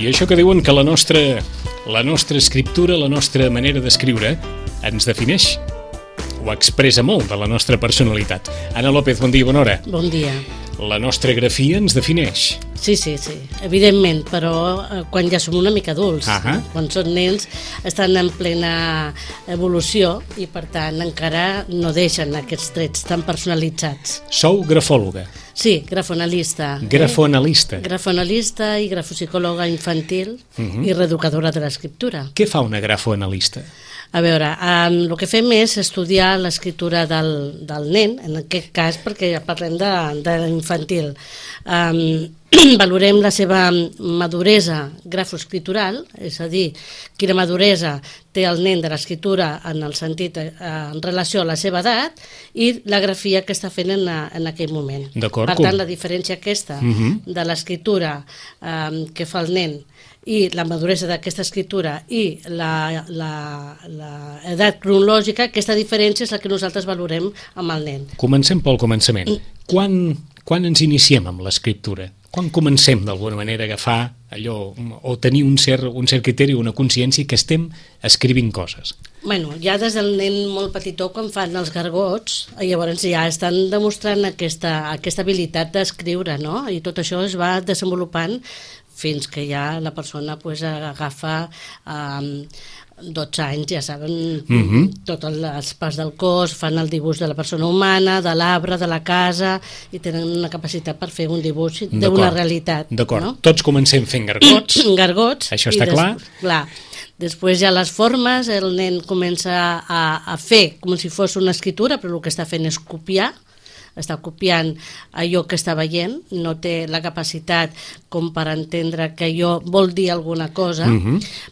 I això que diuen que la nostra escriptura, la nostra manera d'escriure, ens defineix o expressa molt de la nostra personalitat. Anna López, bon dia, bona hora. Bon dia. La nostra grafia ens defineix. Sí, evidentment, però quan ja som una mica adults, quan són nens, estan en plena evolució i per tant encara no deixen aquests trets tan personalitzats. Sou grafòloga. Sí, grafonalista. Grafonalista. Grafonalista i grafopsicòloga infantil i reeducadora de l'escriptura. Què fa una grafoanalista? A veure, el que fem és estudiar l'escriptura del nen, en aquest cas perquè parlem de l'infantil. Valorem la seva maduresa grafoescritural, és a dir, quina maduresa té el nen de l'escriptura en el sentit en relació a la seva edat i la grafia que està fent en aquell moment. Per tant, la diferència aquesta de l'escriptura que fa el nen i la maduresa d'aquesta escriptura i l'edat cronològica, aquesta diferència és la que nosaltres valorem amb el nen. Comencem pel començament. Quan ens iniciem amb l'escriptura? Quan comencem d'alguna manera a agafar allò o tenir un cert criteri o una consciència que estem escrivint coses? Bueno, ja des del nen molt petitó, quan fan els gargots, llavors ja estan demostrant aquesta habilitat d'escriure, no? I tot això es va desenvolupant fins que ja la persona agafa 12 anys, ja saben tots els parts del cos, fan el dibuix de la persona humana, de l'arbre, de la casa, i tenen una capacitat per fer un dibuix d'una realitat. D'acord, tots comencem fent gargots. Gargots. Això està clar. Clar. Després ja les formes, el nen comença a fer com si fos una escriptura, però el que està fent és copiar, està copiant allò que està veient, no té la capacitat com per entendre que allò vol dir alguna cosa,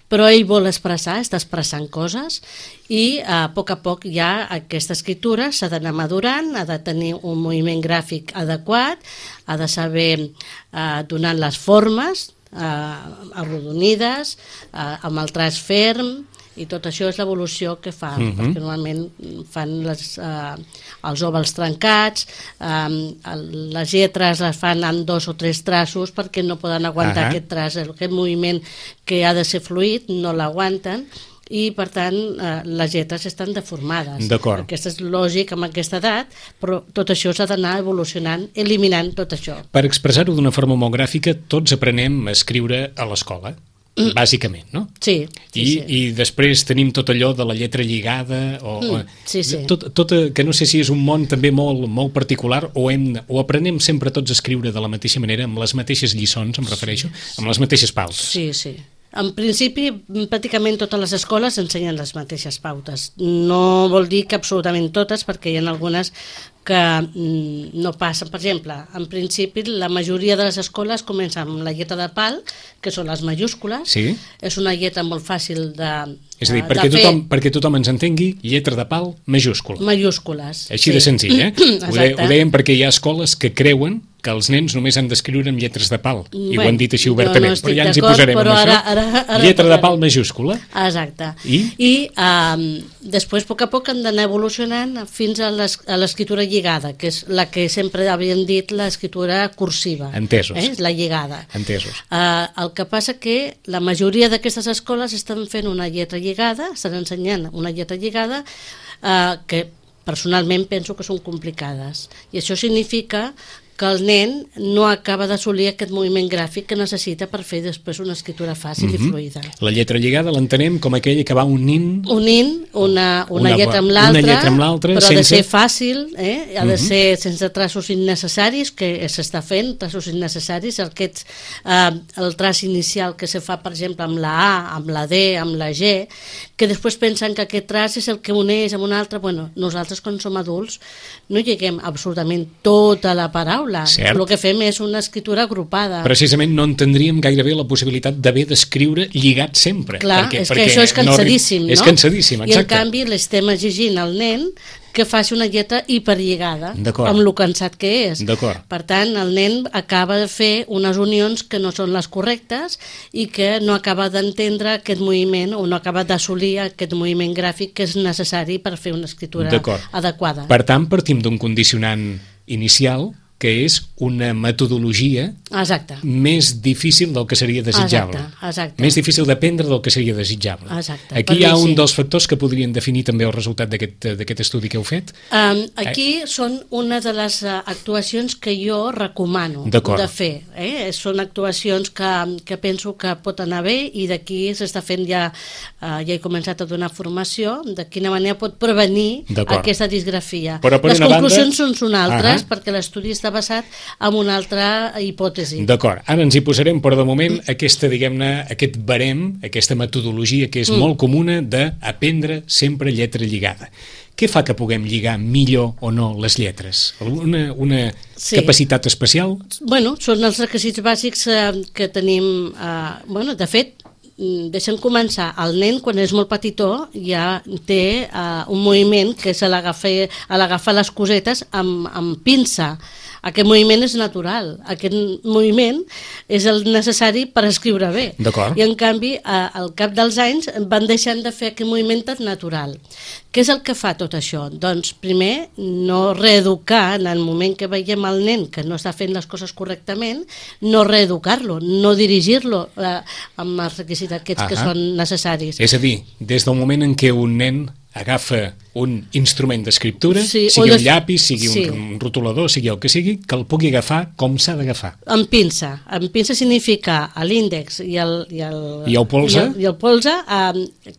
però ell vol expressar, està expressant coses i a poc ja aquesta escriptura s'ha d'anar madurant, ha de tenir un moviment gràfic adequat, ha de saber donar les formes arrodonides, amb el traç ferm, i tot això és l'evolució que fa, perquè normalment fan els òvals trencats, les lletres les fan en 2 o 3 traços perquè no poden aguantar aquest traç, aquest moviment que ha de ser fluid, no l'aguanten, i per tant les lletres estan deformades. Aquest és lògic amb aquesta edat, però tot això s'ha d'anar evolucionant, eliminant tot això. Per expressar-ho d'una forma molt gràfica, tots aprenem a escriure a l'escola, bàsicament, no? Sí. I després tenim tot allò de la lletra lligada, que no sé si és un món també molt particular, o aprenem sempre tots a escriure de la mateixa manera, amb les mateixes lliçons, em refereixo, amb les mateixes pautes. Sí. En principi, pràcticament totes les escoles ensenyen les mateixes pautes. No vol dir que absolutament totes, perquè hi ha algunes que no passen. Per exemple, en principi, la majoria de les escoles comencen amb la lletra de pal, que són les majúscules. Sí. És una lletra molt fàcil de és a dir, perquè tothom ens entengui, lletra de pal, majúscula. Majúscules. Així de senzill, Ho dèiem perquè hi ha escoles que creuen que els nens només han d'escriure amb lletres de pal, i ho han dit així obertament, però ja ens hi posarem amb això. Lletra de pal majúscula. Exacte. I després, a poc, han d'anar evolucionant fins a l'escriptura lligada, que és la que sempre havien dit l'escriptura cursiva. Entesos. La lligada. Entesos. El que passa que la majoria d'aquestes escoles estan fent una lletra lligada, estan ensenyant una lletra lligada que personalment penso que són complicades. I això significa que el nen no acaba d'assolir aquest moviment gràfic que necessita per fer després una escriptura fàcil i fluida. La lletra lligada l'entenem com aquella que va unint una lletra amb l'altra, però ha de ser fàcil, ha de ser sense traços innecessaris, que s'està fent, traços innecessaris, el traç inicial que se fa, per exemple, amb la A, amb la D, amb la G, que després pensen que aquest traç és el que uneix amb un altre. Bueno, nosaltres quan som adults no lliguem absolutament tota la paraula, el que fem és una escriptura agrupada. Precisament no entendríem gairebé la possibilitat d'haver d'escriure lligat sempre. Clar, és que això és cansadíssim, no? És cansadíssim, exacte. I en canvi l'estem exigint al nen que faci una lletra hiperlligada, amb lo cansat que és. Per tant, el nen acaba de fer unes unions que no són les correctes i que no acaba d'entendre aquest moviment o no acaba d'assolir aquest moviment gràfic que és necessari per fer una escriptura adequada. Per tant, partim d'un condicionant inicial que és una metodologia més difícil del que seria desitjable. Exacte. Més difícil d'aprendre del que seria desitjable. Exacte. Aquí hi ha un dels factors que podrien definir també el resultat d'aquest estudi que heu fet. Aquí són una de les actuacions que jo recomano de fer. Són actuacions que penso que pot anar bé i d'aquí s'està fent ja he començat a donar formació de quina manera pot prevenir aquesta disgrafia. Les conclusions són altres perquè l'estudi està basat en una altra hipòtesi. D'acord, ara ens hi posarem, però de moment aquest barem, aquesta metodologia que és molt comuna d'aprendre sempre lletra lligada. Què fa que puguem lligar millor o no les lletres? Una capacitat especial? Bueno, són els requisits bàsics que tenim. De fet, deixa'm començar. El nen, quan és molt petitó, ja té un moviment que és l'agafar les cosetes amb pinça. Aquest moviment és natural. Aquest moviment és el necessari per escriure bé. I en canvi, al cap dels anys van deixant de fer aquest moviment tan natural. Què és el que fa tot això? Doncs primer, no reeducar en el moment que veiem el nen que no està fent les coses correctament, no reeducar-lo, no dirigir-lo amb els requisits aquests que són necessaris. És a dir, des del moment en què un nen agafa un instrument d'escriptura, sigui un llapis, sigui un rotulador, sigui el que sigui, que el pugui agafar com s'ha d'agafar. Amb pinça. Amb pinça significa l'índex i el polze,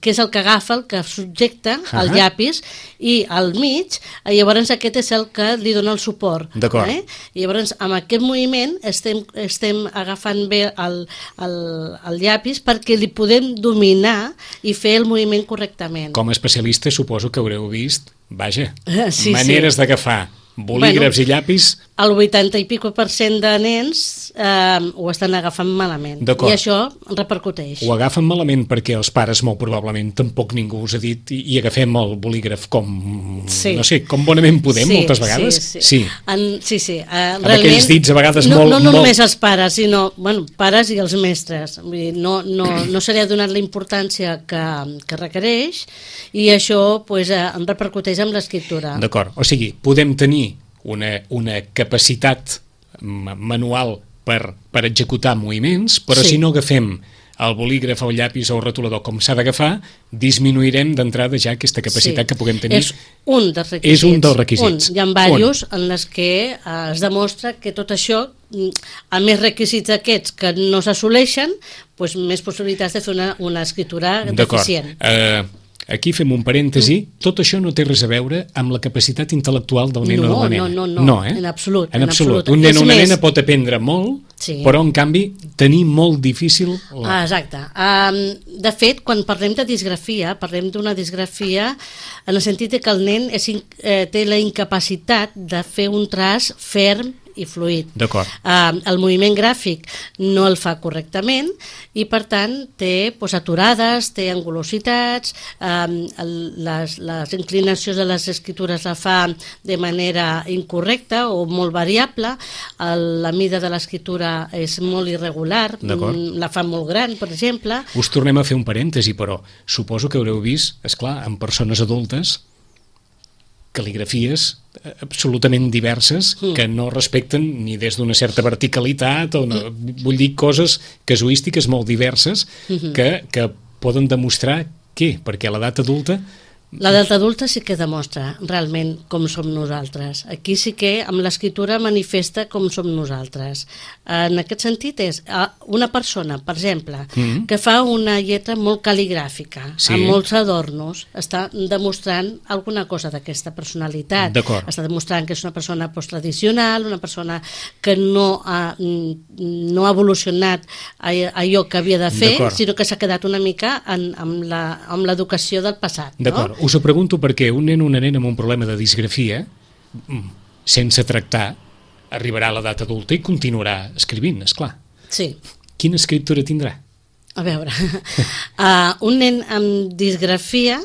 que és el que agafa, el que subjecta el llapis, i al mig, llavors aquest és el que li dona el suport. I llavors amb aquest moviment estem agafant bé el llapis perquè li podem dominar i fer el moviment correctament. Com a especialista suposo que haureu vist, maneres d'agafar bolígrafs i llapis. El 80% i pico de nens ho estan agafant malament i això repercuteix. Ho agafen malament perquè els pares molt probablement tampoc ningú us ha dit i agafem el bolígraf com bonament podem moltes vegades. Amb aquells dits a vegades molt... No només els pares, sinó pares i els mestres. No se li ha donat la importància que requereix i això em repercuteix amb l'escriptura. D'acord, o sigui, podem tenir una capacitat manual per executar moviments, però si no agafem el bolígraf o el llapis o el rotulador com s'ha d'agafar, disminuirem d'entrada ja aquesta capacitat que puguem tenir. És un dels requisits. Hi ha diversos en els que es demostra que tot això, a més requisits aquests que no s'assoleixen, més possibilitats de fer una escriptura deficient. Aquí fem un parèntesi, tot això no té res a veure amb la capacitat intel·lectual del nen o de la nena. No, en absolut. Un nen o una nena pot aprendre molt, però en canvi tenir molt difícil... Exacte. De fet, quan parlem de disgrafia, parlem d'una disgrafia en el sentit que el nen té la incapacitat de fer un traç ferm i fluid. El moviment gràfic no el fa correctament i per tant té aturades, té angulositats, les inclinacions de les escritures la fa de manera incorrecta o molt variable, la mida de l'escriptura és molt irregular, la fa molt gran, per exemple. Us tornem a fer un parèntesi, però suposo que haureu vist, esclar, en persones adultes, cal·ligrafies absolutament diverses que no respecten ni des d'una certa verticalitat vull dir coses casuístiques molt diverses que poden demostrar perquè a l'edat adulta L'edat adulta sí que demostra realment com som nosaltres. Aquí sí que amb l'escriptura manifesta com som nosaltres. En aquest sentit és una persona, per exemple, que fa una lletra molt cal·ligràfica, amb molts adornos, està demostrant alguna cosa d'aquesta personalitat. Està demostrant que és una persona posttradicional, una persona que no ha evolucionat allò que havia de fer, sinó que s'ha quedat una mica amb l'educació del passat. D'acord. Us ho pregunto perquè un nen o una nena amb un problema de disgrafia, sense tractar, arribarà a l'edat adulta i continuarà escrivint, esclar. Sí. Quina escriptura tindrà? A veure, un nen amb disgrafia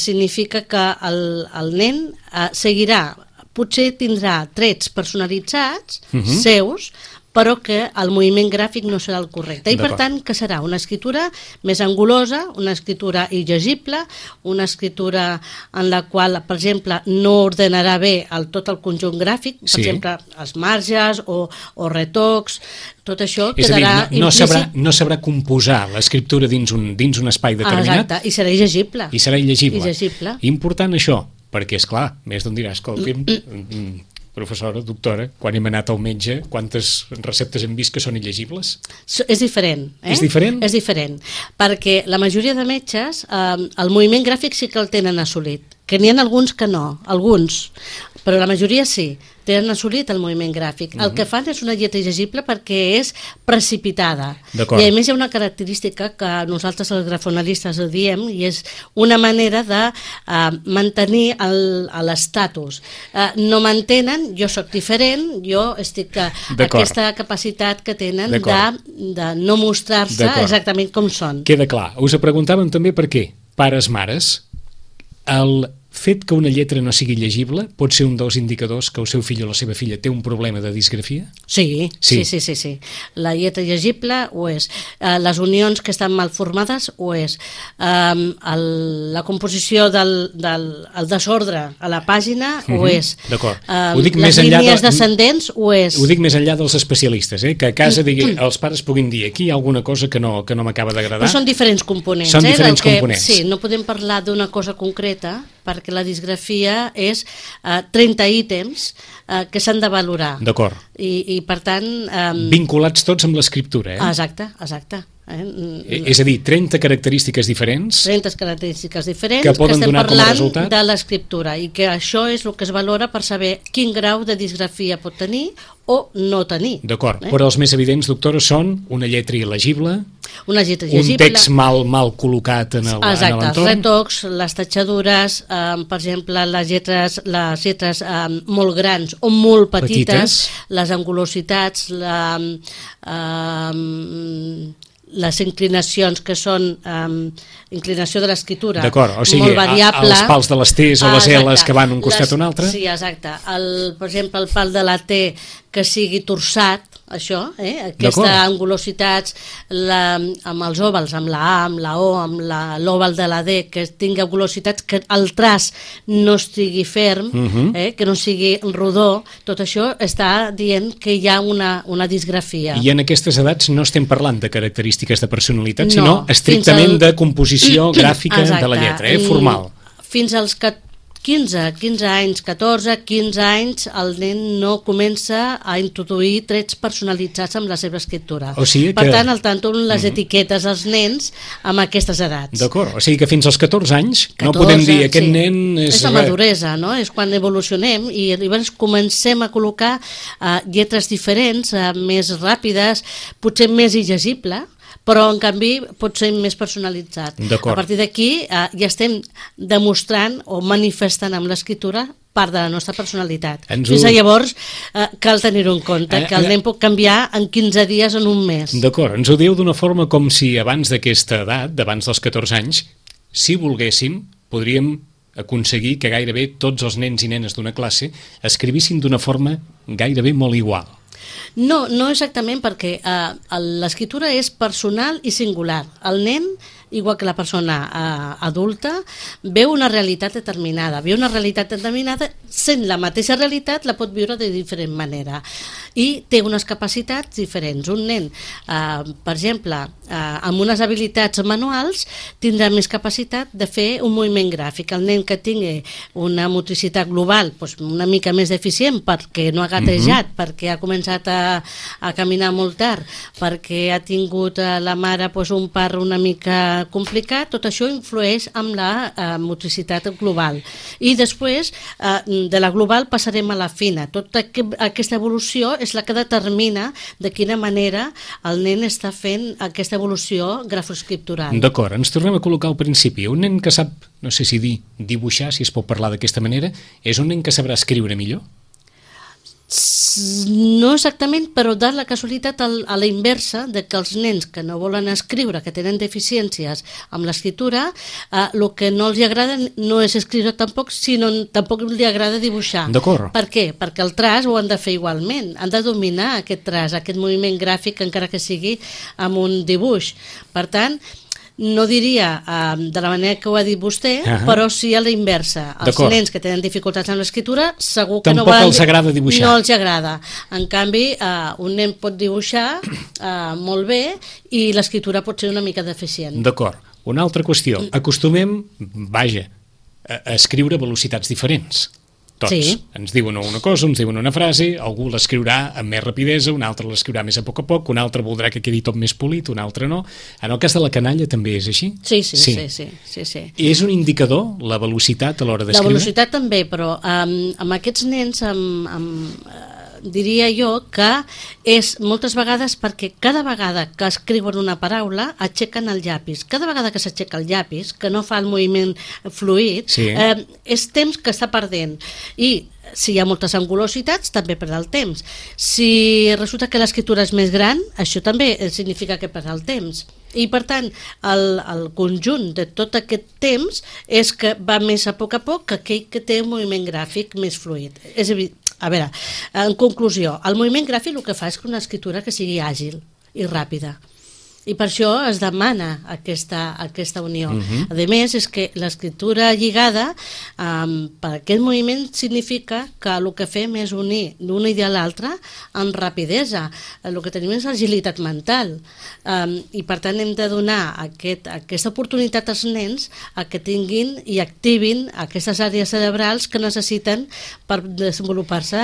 significa que el nen seguirà, potser tindrà trets personalitzats seus, però que el moviment gràfic no serà el correcte. I per tant, que serà una escriptura més angulosa, una escriptura illegible, una escriptura en la qual, per exemple, no ordenarà bé tot el conjunt gràfic, per exemple, els marges o retocs, tot això quedarà implícit. No sabrà composar l'escriptura dins un espai determinat. Exacte, i serà il·legible. I serà il·legible. Important això, perquè, esclar, més d'on dirà, escolti'm, professora, doctora, quan hem anat al metge, quantes receptes hem vist que són il·legibles? És diferent. És diferent? És diferent, perquè la majoria de metges el moviment gràfic sí que el tenen assolit, que n'hi ha alguns que no, alguns, però la majoria sí, tenen assolit el moviment gràfic. El que fan és una lletra llegible perquè és precipitada. I a més hi ha una característica que nosaltres els grafonalistes ho diem i és una manera de mantenir l'estatus. No m'entenen, jo sóc diferent, jo estic... Aquesta capacitat que tenen de no mostrar-se exactament com són. Queda clar. Us preguntàvem també per què, pares, mares, el fet que una lletra no sigui llegible pot ser un dels indicadors que el seu fill o la seva filla té un problema de disgrafia? Sí. La lletra llegible ho és. Les unions que estan mal formades ho és. La composició del desordre a la pàgina ho és. D'acord. Les línies descendents ho és. Ho dic més enllà dels especialistes, que a casa els pares puguin dir aquí hi ha alguna cosa que no m'acaba d'agradar. Però són diferents components. Són diferents components. Sí, no podem parlar d'una cosa concreta perquè la disgrafia és 30 ítems que s'han de valorar. D'acord. I per tant... Vinculats tots amb l'escriptura, Exacte. És a dir, 30 característiques diferents 30 característiques diferents que poden donar com a resultat de l'escriptura i que això és el que es valora per saber quin grau de disgrafia pot tenir o no tenir. D'acord, però els més evidents, doctora, són una lletra il·legible, una lletra llegible, un text mal col·locat en l'entorn. Exacte, els retocs, les tatxadures, per exemple, les lletres molt grans o molt petites. Les angulositats, les inclinacions que són inclinació de l'escriptura molt variable. Els pals de les T's o les L's que van un costat o un altre. Sí, exacte. Per exemple, el pal de la T que sigui torçat, això, aquestes angulositats amb els òvals, amb la A, amb la O, amb l'òval de la D, que tingui angulositats, que el traç no estigui ferm, que no sigui rodó, tot això està dient que hi ha una disgrafia. I en aquestes edats no estem parlant de característiques de personalitat, sinó estrictament de composició gràfica de la lletra, formal. Fins als 15 anys, 14, 15 anys, el nen no comença a introduir trets personalitzats amb la seva escriptura. Per tant, al tanto les etiquetes als nens amb aquestes edats. D'acord, o sigui que fins als 14 anys no podem dir aquest nen... És la maduresa, no? És quan evolucionem i llavors comencem a col·locar lletres diferents, més ràpides, potser més il·legible, però en canvi pot ser més personalitzat. A partir d'aquí ja estem demostrant o manifestant amb l'escriptura part de la nostra personalitat. Fins a llavors cal tenir-ho en compte, que el nen pot canviar en 15 dies o en un mes. D'acord, ens ho diu d'una forma com si abans d'aquesta edat, d'abans dels 14 anys, si volguéssim, podríem aconseguir que gairebé tots els nens i nenes d'una classe escrivissin d'una forma gairebé molt igual. No exactament, perquè l'escriptura és personal i singular. El nen, igual que la persona adulta, veu una realitat determinada. Sent la mateixa realitat, la pot viure de diferent manera. I té unes capacitats diferents. Un nen, per exemple, amb unes habilitats manuals, tindrà més capacitat de fer un moviment gràfic. El nen que tingui una motricitat global una mica més deficient perquè no ha gatejat, perquè ha començat a caminar molt tard, perquè ha tingut la mare un part una mica complicat, tot això influeix amb la motricitat global. I després de la global passarem a la fina. Tota aquesta evolució és la que determina de quina manera el nen està fent aquesta evolució grafoscriptural. D'acord, ens tornem a col·locar al principi. Un nen que sap, no sé si dibuixar, si es pot parlar d'aquesta manera, és un nen que sabrà escriure millor? No exactament, però de la casualitat a la inversa, de que els nens que no volen escriure, que tenen deficiències amb l'escriptura, el que no els agrada no és escriure tampoc, sinó tampoc li agrada dibuixar. D'acord. Per què? Perquè el traç ho han de fer igualment, han de dominar aquest traç, aquest moviment gràfic, encara que sigui amb un dibuix. Per tant, no diria de la manera que ho ha dit vostè, però sí a la inversa. Els nens que tenen dificultats amb l'escriptura segur que tampoc els agrada dibuixar. No els agrada. En canvi, un nen pot dibuixar molt bé i l'escriptura pot ser una mica deficient. D'acord. Una altra qüestió. Acostumem, a escriure a velocitats diferents. Tots. Sí. Ens diuen una cosa, ens diuen una frase, algú l'escriurà amb més rapidesa, un altre l'escriurà més a poc un altre voldrà que quedi tot més polit, un altre no. En el cas de la canalla també és així? Sí. És un indicador, la velocitat a l'hora d'escriure? La velocitat també, però amb aquests nens diria jo que és moltes vegades perquè cada vegada que escriuen una paraula aixequen el llapis. Cada vegada que s'aixeca el llapis, que no fa el moviment fluid, és temps que està perdent. I si hi ha moltes angulositats, també perd el temps. Si resulta que l'escriptura és més gran, això també significa que perd el temps. I per tant, el conjunt de tot aquest temps és que va més a poc que aquell que té un moviment gràfic més fluid. És evident. A veure, en conclusió, el moviment gràfic el que fa és una escriptura que sigui àgil i ràpida. I per això es demana aquesta unió. A més, és que l'escriptura lligada per aquest moviment significa que el que fem és unir d'una idea a l'altra amb rapidesa. El que tenim és agilitat mental. I per tant hem de donar aquesta oportunitat als nens a que tinguin i activin aquestes àrees cerebrals que necessiten per desenvolupar-se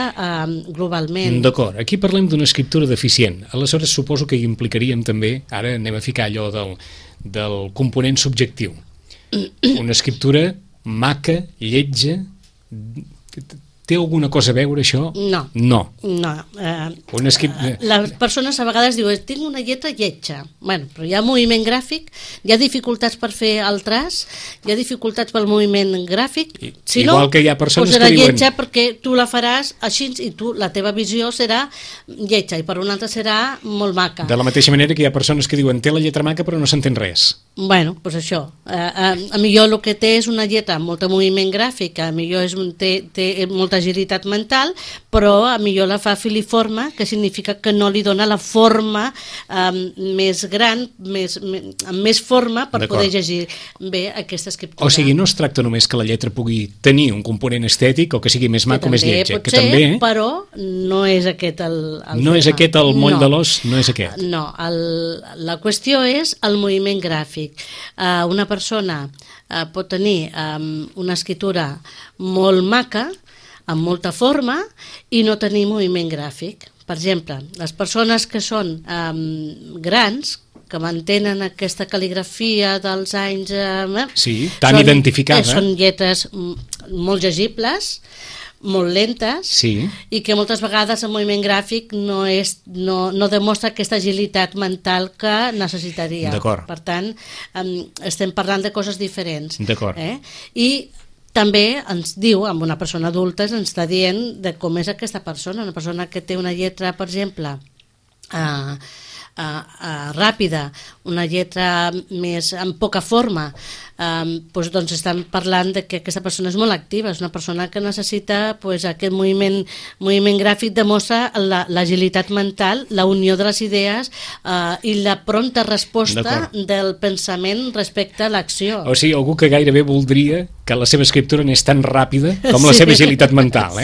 globalment. D'acord, aquí parlem d'una escriptura deficient. Aleshores suposo que hi implicaríem també, ara anem a ficar allò del component subjectiu. Una escriptura maca, lletja, té alguna cosa a veure això? No. Les persones a vegades diuen tinc una lletra lletja. Bueno, però hi ha moviment gràfic, hi ha dificultats per fer el traç, hi ha dificultats pel moviment gràfic. Si igual que hi ha persones que diuen lletja perquè tu la faràs així i la teva visió serà lletja i per una altra serà molt maca. De la mateixa manera que hi ha persones que diuen té la lletra maca però no s'entén res. Bueno, doncs això. A millor el que té és una lletra amb molt moviment gràfic, a millor té molta agilitat mental, però a millor la fa filiforme, que significa que no li dona la forma més gran, amb més forma per poder llegir bé aquesta escriptura. O sigui, no es tracta només que la lletra pugui tenir un component estètic o que sigui més maco o més lletja. Que també, però no és aquest el no és aquest el moll de l'os, no és aquest. No, la qüestió és el moviment gràfic. Una persona pot tenir una escriptura molt maca, amb molta forma, i no tenir moviment gràfic. Per exemple, les persones que són grans, que mantenen aquesta cal·ligrafia dels anys... tan identificada. Són lletres molt llegibles, molt lentes, i que moltes vegades el moviment gràfic no demostra aquesta agilitat mental que necessitaria. Per tant, estem parlant de coses diferents. I també ens diu, amb una persona adulta, ens està dient de com és aquesta persona. Una persona que té una lletra, per exemple, ràpida, una lletra més amb poca forma, doncs estan parlant de que aquesta persona és molt activa, és una persona que necessita aquest moviment gràfic, demostra l'agilitat mental, la unió de les idees i la prompta resposta del pensament respecte a l'acció. O sigui, algú que gairebé voldria que la seva escriptura n'és tan ràpida com la seva agilitat mental.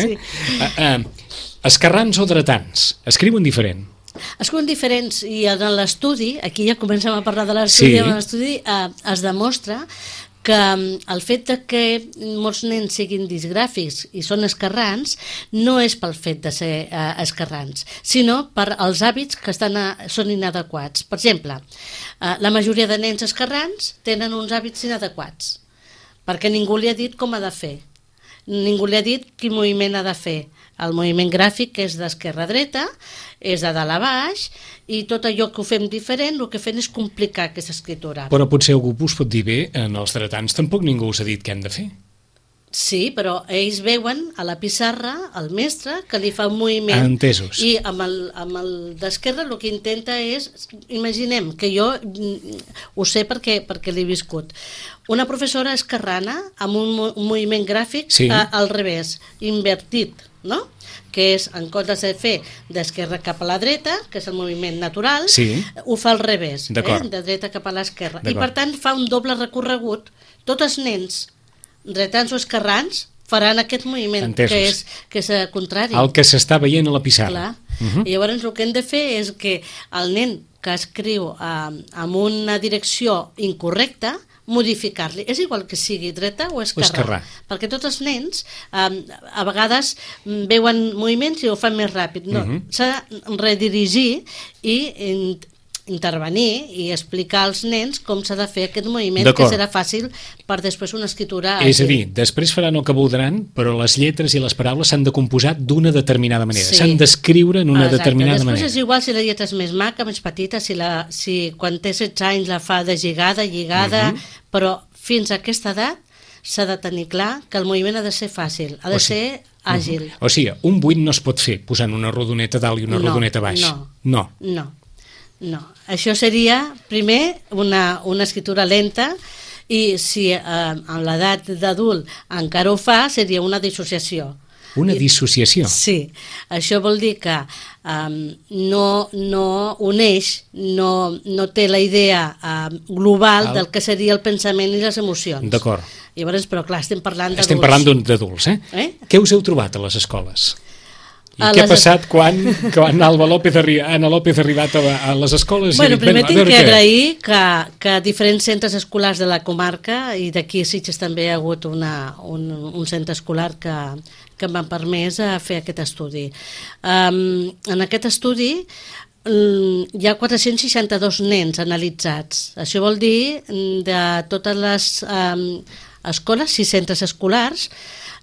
Esquerrans o dretans, escriuen diferent? Escriuen diferents, i en l'estudi, aquí ja comencem a parlar de l'estudi, en l'estudi es demostra que el fet de que molts nens siguin disgràfics i són esquerrans no és pel fet de ser esquerrans, sinó per als hàbits que són inadequats. Per exemple, la majoria de nens esquerrans tenen uns hàbits inadequats, perquè ningú li ha dit com ha de fer, ningú li ha dit quin moviment ha de fer. El moviment gràfic és d'esquerra a dreta, és de dalt a baix, i tot allò que ho fem diferent, el que fem és complicar aquesta escriptura. Però potser algú us pot dir bé, en els dretans tampoc ningú us ha dit què hem de fer. Sí, però ells veuen a la pissarra el mestre que li fa un moviment. Entesos. I amb el d'esquerra el que intenta és, imaginem, que jo ho sé perquè l'he viscut, una professora esquerrana amb un moviment gràfic al revés, invertit, no? Que és, en comptes de fer d'esquerra cap a la dreta, que és el moviment natural, ho fa al revés, de dreta cap a l'esquerra. I per tant fa un doble recorregut. Tots els nens dretans o esquerrans faran aquest moviment, que és contrari. El que s'està veient a la pissarra. I llavors el que hem de fer és que el nen que escriu amb una direcció incorrecta, modificar-li. És igual que sigui dreta o esquerra. Perquè tots els nens a vegades veuen moviments i ho fan més ràpid. No, s'ha de redirigir i intervenir i explicar als nens com s'ha de fer aquest moviment, que serà fàcil per després una escriptura àgil. És a dir, després faran el que voldran, però les lletres i les paraules s'han de composar d'una determinada manera, s'han d'escriure en una determinada manera. Després és igual si la lletra és més maca, més petita, si quan té 16 anys la fa de lligada, però fins a aquesta edat s'ha de tenir clar que el moviment ha de ser fàcil, ha de ser àgil. O sigui, un 8 no es pot fer posant una rodoneta dalt i una rodoneta baix. No, això seria primer una escritura lenta, i si a l'edat d'adult encara ho fa, seria una dissociació. Una dissociació? Sí, això vol dir que no uneix, no té la idea global del que seria el pensament i les emocions. D'acord. Llavors, però clar, estem parlant d'adults. Estem parlant d'adults, Què us heu trobat a les escoles? I què ha passat quan Ana López ha arribat a les escoles? Primer tinc que agrair que a diferents centres escolars de la comarca, i d'aquí a Sitges també hi ha hagut un centre escolar que m'ha permès fer aquest estudi. En aquest estudi hi ha 462 nens analitzats. Això vol dir de totes les escoles, 6 centres escolars,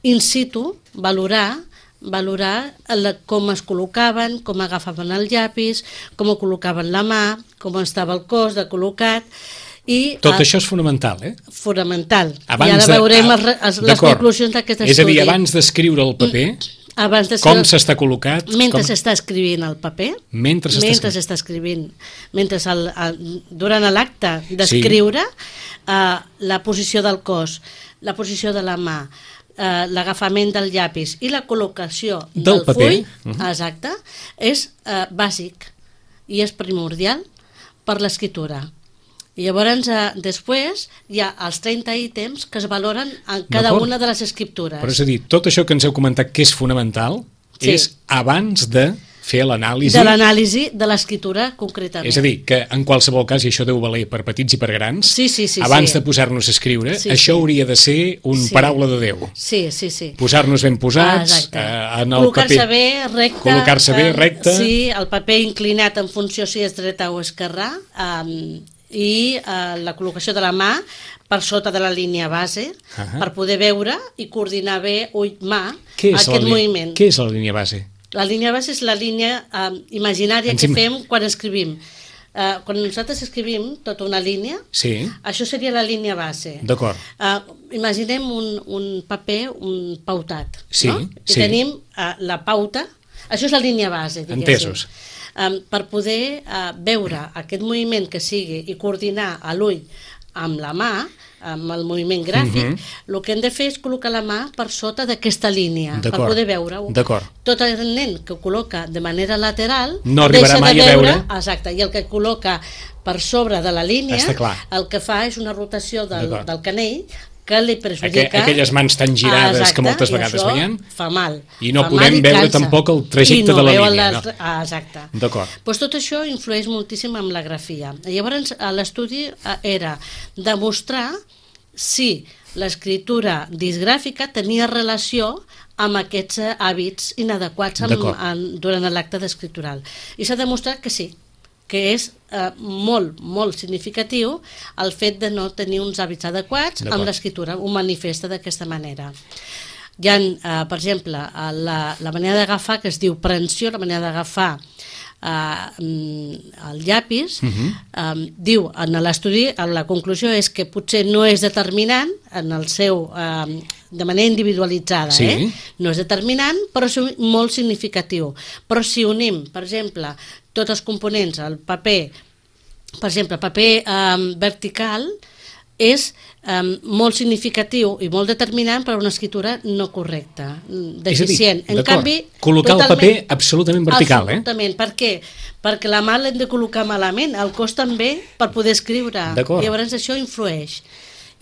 in situ, valorar com es col·locaven, com agafaven el llapis, com col·locaven la mà, com estava el cos de col·locat. Tot això és fonamental, Fonamental. I ara veurem les conclusions d'aquest estudi. És a dir, abans d'escriure el paper, com s'està col·locat? Mentre s'està escrivint el paper, durant l'acte d'escriure, la posició del cos, la posició de la mà, l'agafament del llapis i la col·locació del full, exacte, és bàsic i és primordial per l'escriptura. I llavors, després, hi ha els 30 ítems que es valoren en cada una de les escriptures. Però és a dir, tot això que ens heu comentat que és fonamental és abans de fer l'anàlisi... De l'anàlisi de l'escriptura, concretament. És a dir, que en qualsevol cas, i això deu valer per petits i per grans, abans de posar-nos a escriure, això hauria de ser un paraula de Déu. Sí. Posar-nos ben posats en el paper. Col·locar-se bé, recte. Sí, el paper inclinat en funció si és dreta o esquerrà, i la col·locació de la mà per sota de la línia base, per poder veure i coordinar bé ull-mà aquest moviment. Què és la línia base? La línia base és la línia imaginària que fem quan escrivim. Quan nosaltres escrivim tota una línia, això seria la línia base. D'acord. Imaginem un paper, un pautat, no? I tenim la pauta, això és la línia base, diguéssim. Entesos. Per poder veure aquest moviment que sigui i coordinar a l'ull amb la mà, amb el moviment gràfic, el que hem de fer és col·locar la mà per sota d'aquesta línia, per poder veure-ho. Tot el nen que ho col·loca de manera lateral no arribarà mai a veure. Exacte, i el que col·loca per sobre de la línia, el que fa és una rotació del canell que li perjudica... Aquelles mans tan girades que moltes vegades veiem. Fa mal. I no podem veure tampoc el trajecte de la línia. Exacte. D'acord. Tot això influeix moltíssim en la grafia. Llavors, l'estudi era demostrar si l'escriptura disgràfica tenia relació amb aquests hàbits inadequats durant l'acte escriptural. I s'ha demostrat que sí, que és molt, molt significatiu el fet de no tenir uns hàbits adequats amb l'escriptura, ho manifesta d'aquesta manera. Hi ha, per exemple, la manera d'agafar, que es diu prensió, la manera d'agafar el llapis, diu en l'estudi, la conclusió és que potser no és determinant en el seu... de manera individualitzada, no és determinant, però és molt significatiu. Però si unim, per exemple, tots els components, el paper, per exemple, paper vertical, és molt significatiu i molt determinant per a una escriptura no correcta, deficient. En canvi, col·locar el paper absolutament vertical. Absolutament. Per què? Perquè la mà l'hem de col·locar malament, el cos també, per poder escriure. I llavors això influeix.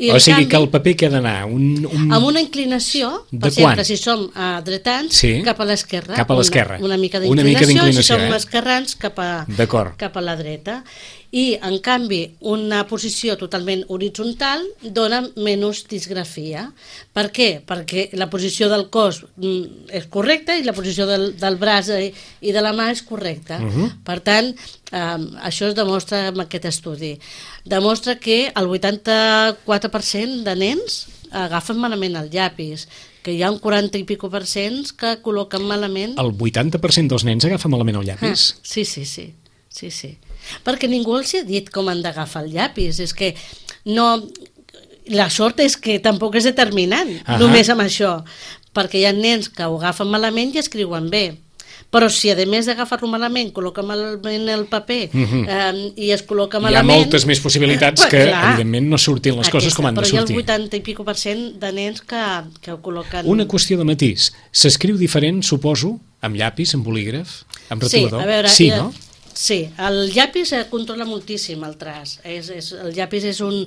O sigui que el paper que ha d'anar amb una inclinació, per exemple, si som dretans, cap a l'esquerra. Cap a l'esquerra. Una mica d'inclinació, si som esquerrans, cap a la dreta. I, en canvi, una posició totalment horitzontal dona menys disgrafia. Per què? Perquè la posició del cos és correcta i la posició del braç i de la mà és correcta. Per tant, això es demostra amb aquest estudi. Demostra que el 84% de nens agafen malament el llapis, que hi ha un 40 i pico % que col·loquen malament... El 80% dels nens agafen malament el llapis? Sí. Perquè ningú els ha dit com han d'agafar el llapis. És que no... La sort és que tampoc és determinant, només amb això, perquè hi ha nens que ho agafen malament i escriuen bé. Però si a més d'agafar-lo malament col·loca malament el paper i es col·loca malament... Hi ha moltes més possibilitats que evidentment no surtin les coses com han de sortir. Però hi ha el 80 i pico % de nens que ho col·loquen... Una qüestió de matís. S'escriu diferent, suposo, amb llapis, amb bolígraf, amb retolador? Sí, a veure... Sí, no? Sí, el llapis controla moltíssim el traç. El llapis és un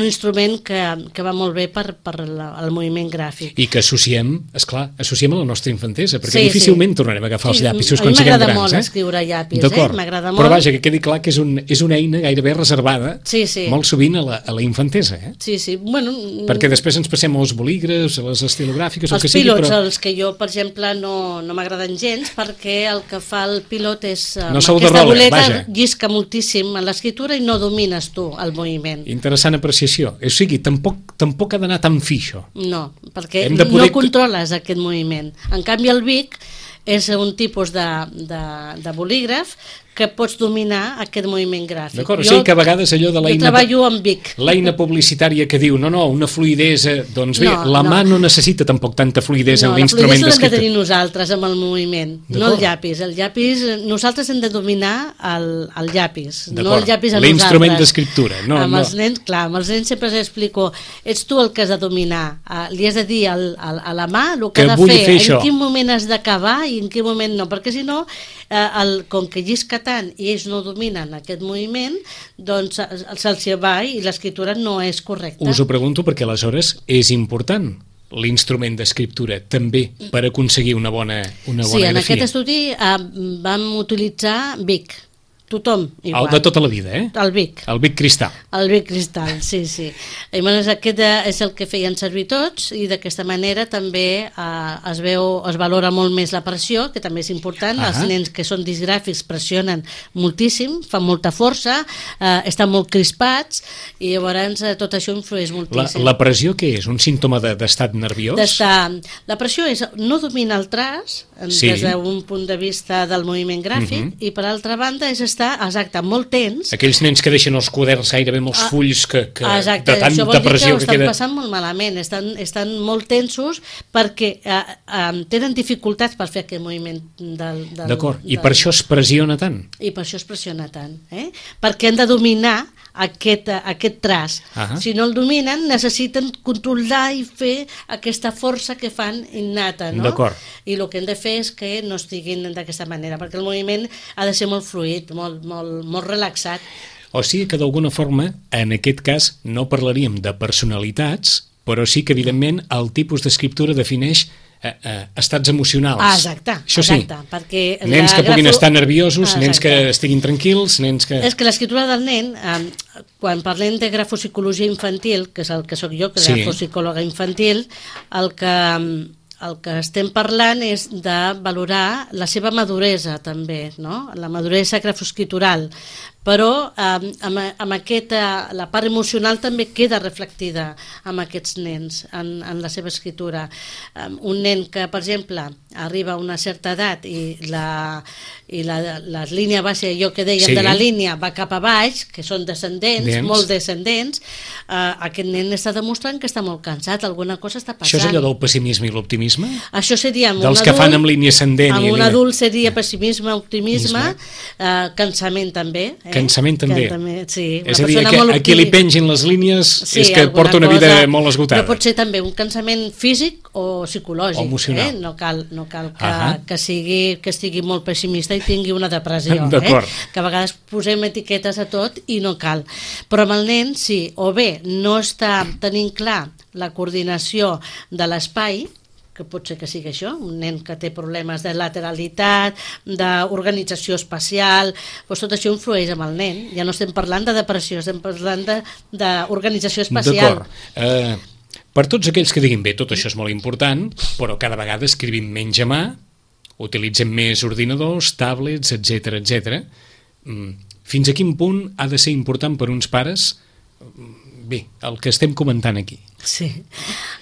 instrument que va molt bé per el moviment gràfic. I que associem, esclar, associem a la nostra infantesa, perquè difícilment tornarem a agafar els llapisos quan siguem grans. A mi m'agrada molt escriure llapis, m'agrada molt. Però vaja, que quedi clar que és una eina gairebé reservada molt sovint a la infantesa. Sí, bueno... Perquè després ens passem als bolígrafs, a les estilogràfiques, els pilots, els que jo, per exemple, no m'agraden gens, perquè el que fa el pilot és... Aquesta boleta llisca moltíssim en l'escriptura i no domines tu el moviment. Interessant apreciació. O sigui, tampoc ha d'anar tan fi, això. No, perquè no controles aquest moviment. En canvi, el Bic és un tipus de bolígraf que pots dominar aquest moviment gràfic. D'acord, o sigui que a vegades allò de l'eina... Jo treballo amb Bic. L'eina publicitària que diu, no, una fluïdesa... Doncs bé, la mà no necessita tampoc tanta fluïdesa en l'instrument d'escriptura. La fluïdesa l'hem de tenir nosaltres amb el moviment, no el llapis. El llapis, nosaltres hem de dominar el llapis, no el llapis a nosaltres. L'instrument d'escriptura. Amb els nens, clar, amb els nens sempre els explico, ets tu el que has de dominar, li has de dir a la mà el que ha de fer, en quin moment has d'acabar i en quin moment no, perquè si no, com que llisca tant i ells no dominen aquest moviment, doncs se'ls va i l'escriptura no és correcta. Us ho pregunto perquè aleshores és important l'instrument d'escriptura també per aconseguir una bona grafia. Sí, en aquest estudi vam utilitzar Bic. Tothom igual. El de tota la vida, El Bic. El Bic Cristal. El Bic Cristal, sí. I aquest és el que feien servir tots i d'aquesta manera també es valora molt més la pressió, que també és important. Els nens que són disgràfics pressionen moltíssim, fan molta força, estan molt crispats i llavors tot això influeix moltíssim. La pressió què és? Un símptoma d'estat nerviós? La pressió és no dominar el traç des d'un punt de vista del moviment gràfic i per altra banda és estar molt tens. Aquells nens que deixen els quaderns gairebé amb els fulls que de tanta pressió que queda... Això vol dir que ho estan passant molt malament, estan molt tensos perquè tenen dificultats per fer aquest moviment D'acord, i per això es pressiona tant? I per això es pressiona tant, perquè han de dominar aquest traç. Si no el dominen, necessiten controlar i fer aquesta força que fan innata, no? D'acord. I el que hem de fer és que no estiguin d'aquesta manera, perquè el moviment ha de ser molt fluid, molt relaxat. O sigui que d'alguna forma, en aquest cas, no parlaríem de personalitats, però sí que evidentment el tipus d'escriptura defineix estats emocionals. Exacte. Perquè nens que puguin estar nerviosos, nens que estiguin tranquils, nens que... És que l'escriptura del nen, quan parlem de grafopsicologia infantil, que és el que sóc jo, que és grafopsicòloga infantil, el que estem parlant és de valorar la seva maduresa també, no? La maduresa grafoscritural, però amb la part emocional també queda reflectida amb aquests nens en la seva escriptura. Un nen que, per exemple, arriba a una certa edat i la línia base, allò que dèiem de la línia, va cap a baix, que són descendents, molt descendents, aquest nen està demostrant que està molt cansat, alguna cosa està passant. Això és allò del pessimisme i l'optimisme? Això seria amb dels que fan amb línia ascendent. Amb un adult seria pessimisme, optimisme, cansament també. Cansament també. Sí, és a dir, a qui li pengin les línies és que porta una vida molt esgotada. Però pot ser també un cansament físic o psicològic. O emocional. No cal que estigui molt pessimista i tingui una depressió. Que a vegades posem etiquetes a tot i no cal. Però amb el nen, sí, o bé no està tenint clar la coordinació de l'espai, que pot ser que sigui això, un nen que té problemes de lateralitat, d'organització espacial, doncs tot això influeix amb el nen. Ja no estem parlant de depressió, estem parlant d'organització espacial. D'acord. Per tots aquells que diguin, bé, tot això és molt important, però cada vegada escrivim menys a mà, utilitzem més ordinadors, tablets, etc. Fins a quin punt ha de ser important per uns pares, bé, el que estem comentant aquí? Sí,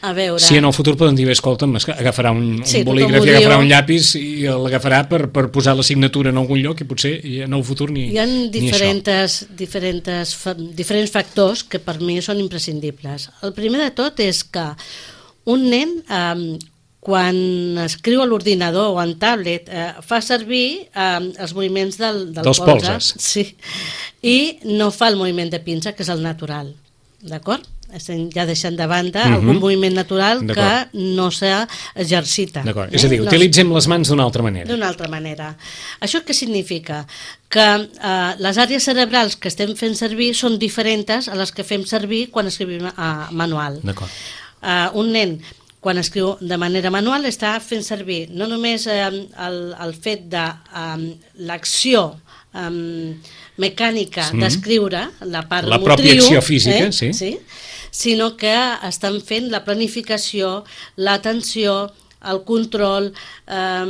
a veure... Si en el futur poden dir, escolta'm, agafarà un bolígraf i agafarà un llapis i l'agafarà per posar la signatura en algun lloc i potser en el futur ni hi ha diferents factors que per mi són imprescindibles. El primer de tot és que un nen, quan escriu a l'ordinador o en tablet, fa servir els moviments del polze. Sí, i no fa el moviment de pinça, que és el natural. D'acord? Estem ja deixant de banda algun moviment natural que no s'exercita. D'acord, és a dir, utilitzem les mans d'una altra manera. D'una altra manera. Això què significa? Que les àrees cerebrals que estem fent servir són diferents a les que fem servir quan escrivim manual. D'acord. Un nen, quan escriu de manera manual, està fent servir no només el fet de l'acció mecànica d'escriure, la part motriu, pròpia acció física, sí, sinó que estan fent la planificació, l'atenció, el control, la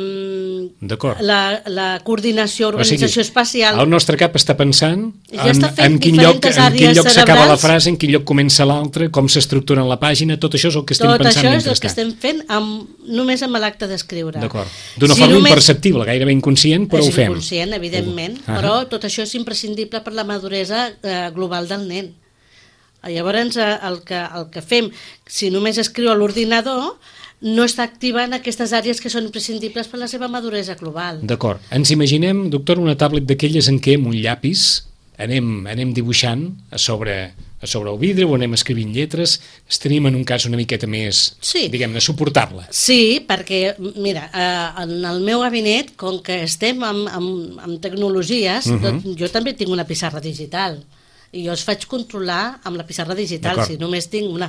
coordinació, organització espacial. El nostre cap està pensant en quin lloc s'acaba la frase, en quin lloc comença l'altre, com s'estructura la pàgina, tot això és el que estem pensant mentrestant. Tot això és el que estem fent només amb l'acte d'escriure. D'acord. D'una forma imperceptible, gairebé inconscient, però ho fem. És inconscient, evidentment, però tot això és imprescindible per la maduresa global del nen. Llavors, el que fem, si només escriu a l'ordinador, no està activant aquestes àrees que són imprescindibles per la seva maduresa global. D'acord. Ens imaginem, doctor, una tablet d'aquelles en què amb un llapis anem dibuixant a sobre el vidre o anem escrivint lletres, estaríem en un cas una miqueta més, diguem-ne, suportable. Sí, perquè, mira, en el meu gabinet, com que estem amb tecnologies, jo també tinc una pissarra digital. I jo els faig controlar amb la pissarra digital. Si només tinc una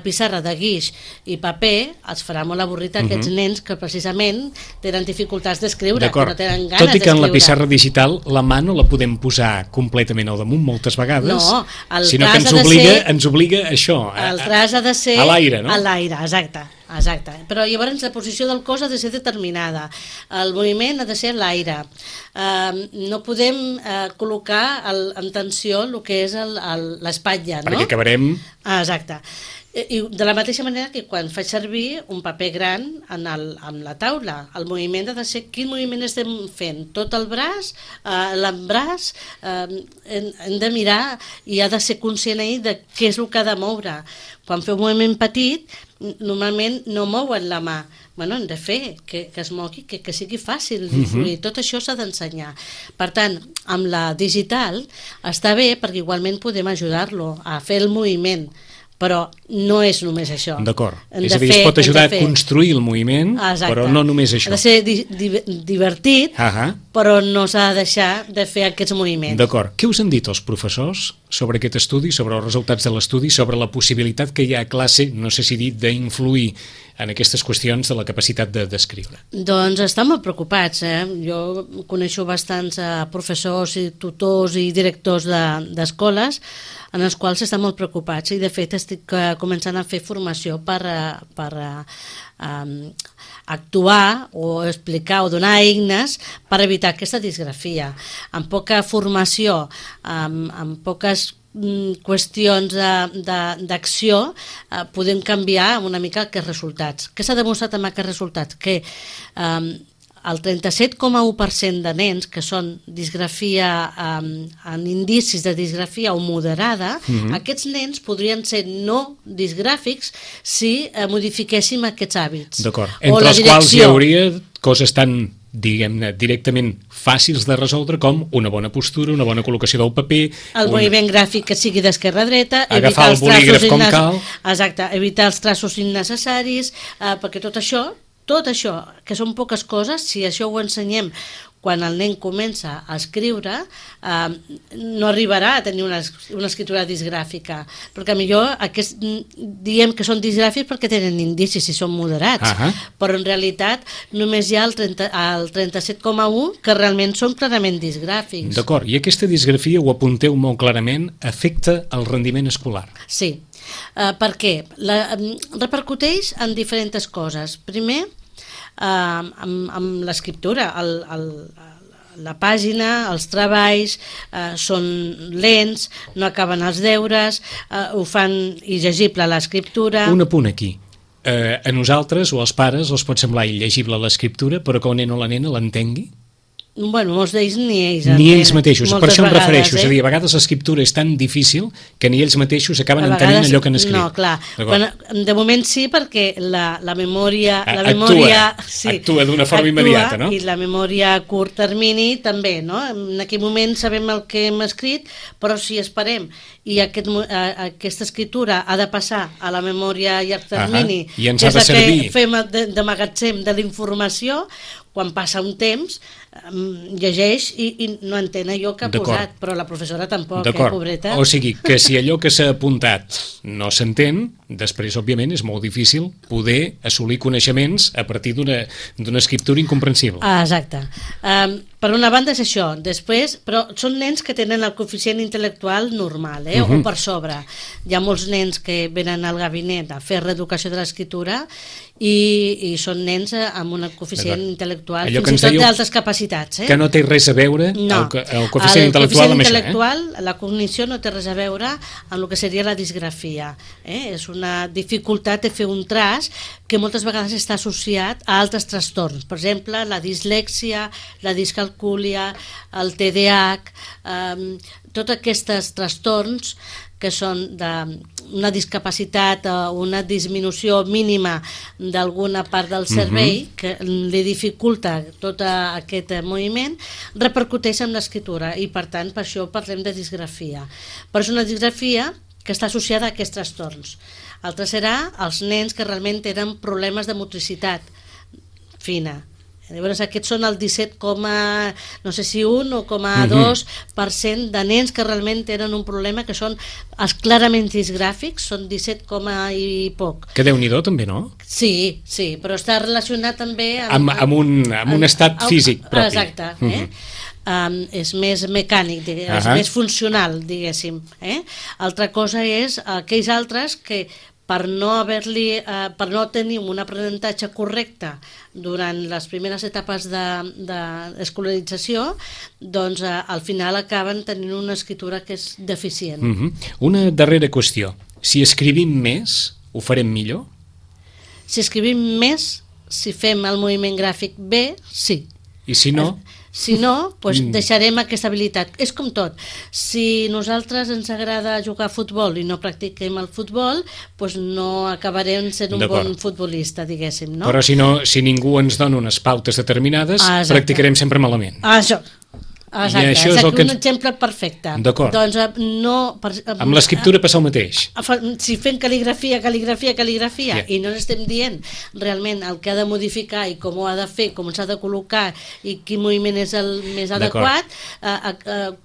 pissarra de guix i paper, els farà molt avorrit a aquests nens que precisament tenen dificultats d'escriure, que no tenen ganes d'escriure. Tot i que en la pissarra digital la mà no la podem posar completament al damunt moltes vegades, sinó que ens obliga a això, el traç ha de ser a l'aire, no? A l'aire, exacte. Però llavors la posició del cos ha de ser determinada, el moviment ha de ser l'aire, no podem col·locar en tensió el que és l'espatlla, no? Perquè acabarem... Exacte. I de la mateixa manera que quan faig servir un paper gran en la taula, el moviment ha de ser quin moviment estem fent, tot el braç, l'embraç, hem de mirar i ha de ser conscient de què és el que ha de moure. Quan feu un moviment petit, normalment no mouen la mà, hem de fer que es mogui, que sigui fàcil d'influir, tot això s'ha d'ensenyar. Per tant, amb la digital està bé perquè igualment podem ajudar-lo a fer el moviment, però no és només això. D'acord. És a dir, es pot ajudar a construir el moviment, però no només això. Ha de ser divertit, però no s'ha de deixar de fer aquests moviments. D'acord. Què us han dit els professors sobre aquest estudi, sobre els resultats de l'estudi, sobre la possibilitat que hi ha a classe, no sé si dir, d'influir en aquestes qüestions de la capacitat d'escriure? Doncs estan molt preocupats. Jo coneixo bastants professors i tutors i directors d'escoles en els quals estan molt preocupats i de fet estic començant a fer formació per actuar o explicar o donar eines per evitar aquesta disgrafia. Amb poca formació, amb poques qüestions d'acció, podem canviar una mica aquests resultats. Què s'ha demostrat amb aquests resultats? Que el 37,1% de nens que són disgrafia en indicis de disgrafia o moderada, aquests nens podrien ser no disgràfics si modifiquéssim aquests hàbits. D'acord, entre els quals hi hauria coses tan, diguem-ne, directament fàcils de resoldre com una bona postura, una bona col·locació del paper, el moviment gràfic que sigui d'esquerra a dreta, agafar el bolígraf com cal. Exacte, evitar els traços innecessaris, perquè tot això, que són poques coses, si això ho ensenyem quan el nen comença a escriure, no arribarà a tenir una escriptura disgràfica, perquè millor diem que són disgràfics perquè tenen indicis i són moderats, però en realitat només hi ha el 37,1 que realment són clarament disgràfics. D'acord, i aquesta disgrafia, ho apunteu molt clarament, afecta el rendiment escolar. Sí, perquè repercuteix en diferents coses. Primer, amb l'escriptura, la pàgina, els treballs són lents, no acaben els deures, ho fan il·legible l'escriptura. Un apunt aquí. A nosaltres o als pares els pot semblar il·legible l'escriptura, però que el nen o la nena l'entengui? Bueno, molts d'ells ni ells mateixos, per això em refereixo, és a dir, a vegades l'escriptura és tan difícil que ni ells mateixos acaben entenent allò que han escrit. No, clar, de moment sí, perquè la memòria actua d'una forma immediata, no? I la memòria a curt termini també, no? En aquell moment sabem el que hem escrit, però si esperem i aquesta escritura ha de passar a la memòria a llarg termini, i ens ha de servir, que fem de magatzem de la informació, quan passa un temps llegeix i no entén allò que ha posat, però la professora tampoc, pobreta. O sigui, que si allò que s'ha apuntat no s'entén, després, òbviament, és molt difícil poder assolir coneixements a partir d'una escriptura incomprensible. Exacte. Per una banda és això, després, però són nens que tenen el coeficient intel·lectual normal, o per sobre. Hi ha molts nens que venen al gabinet a fer reeducació de l'escriptura i són nens amb un coeficient intel·lectual, fins i tot d'altres capacitats. Que no té res a veure el coeficient intel·lectual amb això. Intel·lectual, la cognició no té res a veure amb el que seria la disgrafia. És una dificultat de fer un traç que moltes vegades està associat a altres trastorns. Per exemple, la dislèxia, la discalcúlia, el TDAH, tots aquests trastorns que són d'una discapacitat o una disminució mínima d'alguna part del cervell que li dificulta tot aquest moviment, repercuteix en l'escriptura i per tant per això parlem de disgrafia. Però és una disgrafia que està associada a aquests trastorns. Altre serà els nens que realment tenen problemes de motricitat fina. Llavors aquests són el 17, no sé si 1 o 2% de nens que realment tenen un problema, que són els clarament disgràfics, són 17, i poc. Que Déu-n'hi-do també, no? Sí, però està relacionat també amb un estat físic propi. Exacte, és més mecànic, és més funcional, diguéssim. Altra cosa és aquells altres que per no tenir un aprenentatge correcte durant les primeres etapes d'escolarització, doncs al final acaben tenint una escriptura que és deficient. Una darrera qüestió. Si escrivim més, ho farem millor? Si escrivim més, si fem el moviment gràfic bé, sí. I si no? Si no, doncs deixarem aquesta habilitat. És com tot. Si nosaltres ens agrada jugar a futbol i no practiquem el futbol, doncs no acabarem sent un bon futbolista, diguéssim, no? Però si ningú ens dona unes pautes determinades, practicarem sempre malament. Això. Exacte, és un exemple perfecte. D'acord. Doncs amb l'escriptura passa el mateix. Si fem cal·ligrafia i no estem dient realment el que ha de modificar i com ho ha de fer, com s'ha de col·locar i quin moviment és el més adequat,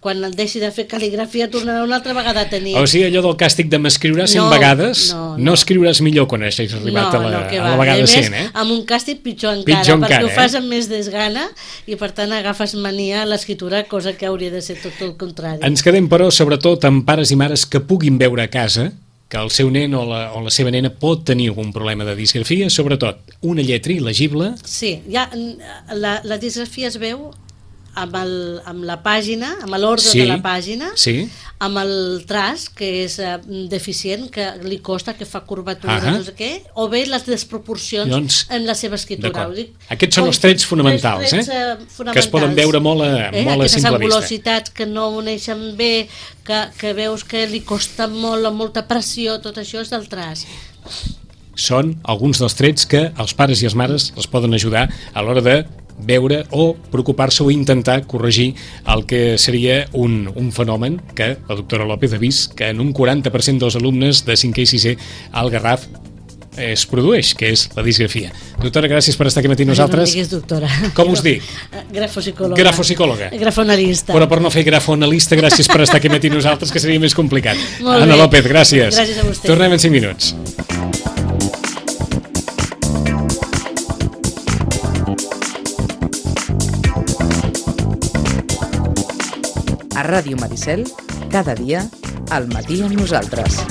quan deixi de fer cal·ligrafia tornarà una altra vegada a tenir... O sigui, allò del càstig de m'escriuràs 100 vegades, no escriuràs millor quan hagis arribat a la vegada 100, amb un càstig pitjor encara, perquè ho fas amb més desgana i per tant agafes mania a l'escriptura, cosa que hauria de ser tot el contrari. Ens quedem, però, sobretot amb pares i mares que puguin veure a casa que el seu nen o la seva nena pot tenir algun problema de disgrafia, sobretot una lletra il·legible. Sí, la disgrafia es veu amb la pàgina, amb l'ordre de la pàgina, amb el traç, que és deficient, que li costa, que fa curvatura, no sé què, o bé les desproporcions en la seva escriptura. Aquests són els trets fonamentals, que es poden veure molt a simple vista. Aquestes angulositats que no uneixen bé, que veus que li costa molt, amb molta pressió, tot això és del traç. Són alguns dels trets que els pares i les mares els poden ajudar a l'hora de veure o preocupar-se o intentar corregir el que seria un fenomen que la doctora López ha vist que en un 40% dels alumnes de 5è i 6è al Garraf es produeix, que és la disgrafia. Doctora, gràcies per estar aquí amb nosaltres. No diguis doctora. Com us dic? Grafopsicòloga. Grafopsicòloga. Grafoanalista. Però per no fer grafoanalista, gràcies per estar aquí amb nosaltres, que seria més complicat. Anna López, gràcies. Gràcies a vostè. Tornem en 5 minuts. A Ràdio Maricel, cada dia, al matí amb nosaltres.